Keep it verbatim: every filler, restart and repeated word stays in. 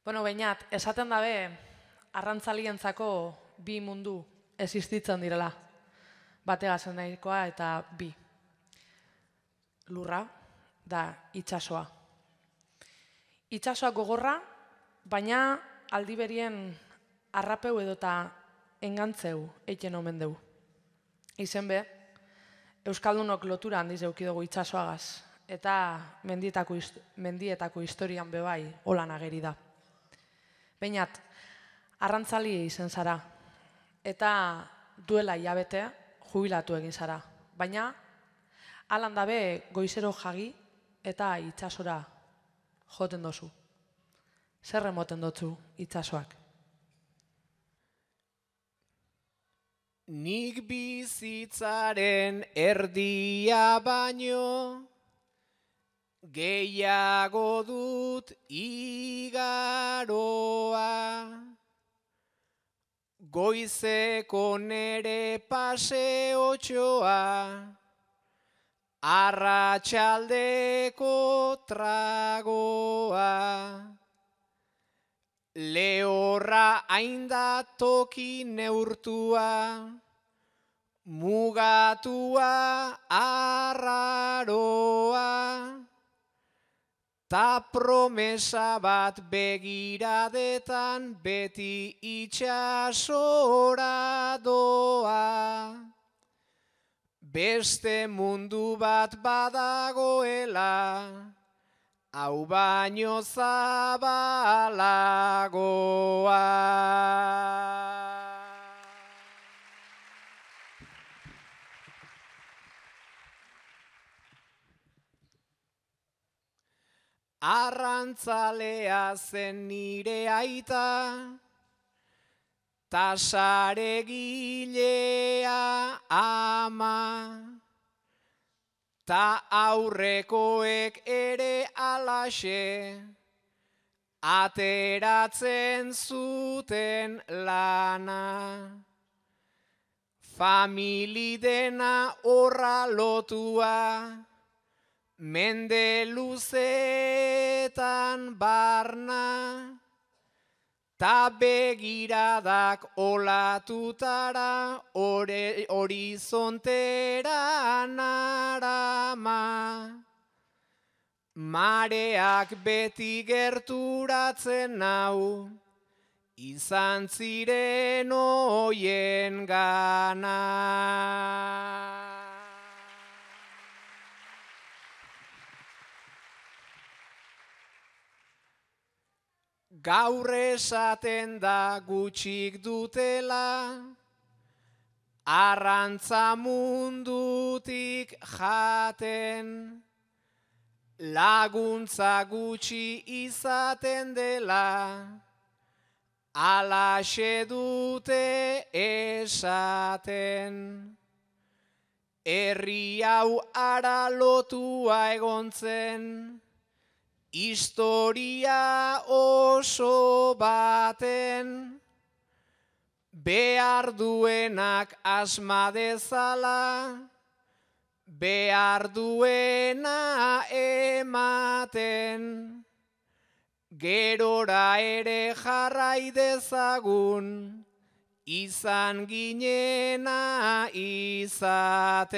Bueno, bainat, esaten dabe, arrantzalientzako bi mundu existitzen direla. Bategazen nahikoa eta bi. Lurra da itsasoa. Itsasoa gogorra, baina aldi berien arrapeu edota engantzeu eiten omen deu. Izen be, Euskaldunok lotura handiz eukidugu itsasoagaz, eta mendietako, mendietako historian bebai holan ageri da. Bainat, arrantzali izen zara, eta duela hilabete jubilatu egin zara, baina alan dabe goizero jagi eta itsasora joten dozu. Zer emoten dotzu itsasoak? Nik bizitzaren erdia baino gehiago dut igaroa. Goizeko nere paseotxoa, arratsaldeko tragoa. Lehorra hainda toki neurtua, mugatua arraroa, ta promesa bat begiradetan beti itsasora doa. Beste mundu bat badagoela, hau baino zabalagoa. Arrantzalea zen nire aita, ta saregilea ama. Ta aurrekoek ere alaxe, ateratzen zuten lana. Famili dena horra lotua, mende luzetan barna. Ta begiradak olatutara, horizontera narama. Mareak beti gerturatzen nau, izan ziren oien gana. Gaur esaten da gutxik dutela, arrantza mundutik jaten, laguntza gutxi izaten dela, alaxe dute esaten. Herri hau ara lotua egontzen, historia oso baten, behar duenak asma dezala, behar duena ematen, gerora ere jarrai dezagun, izan ginena izaten.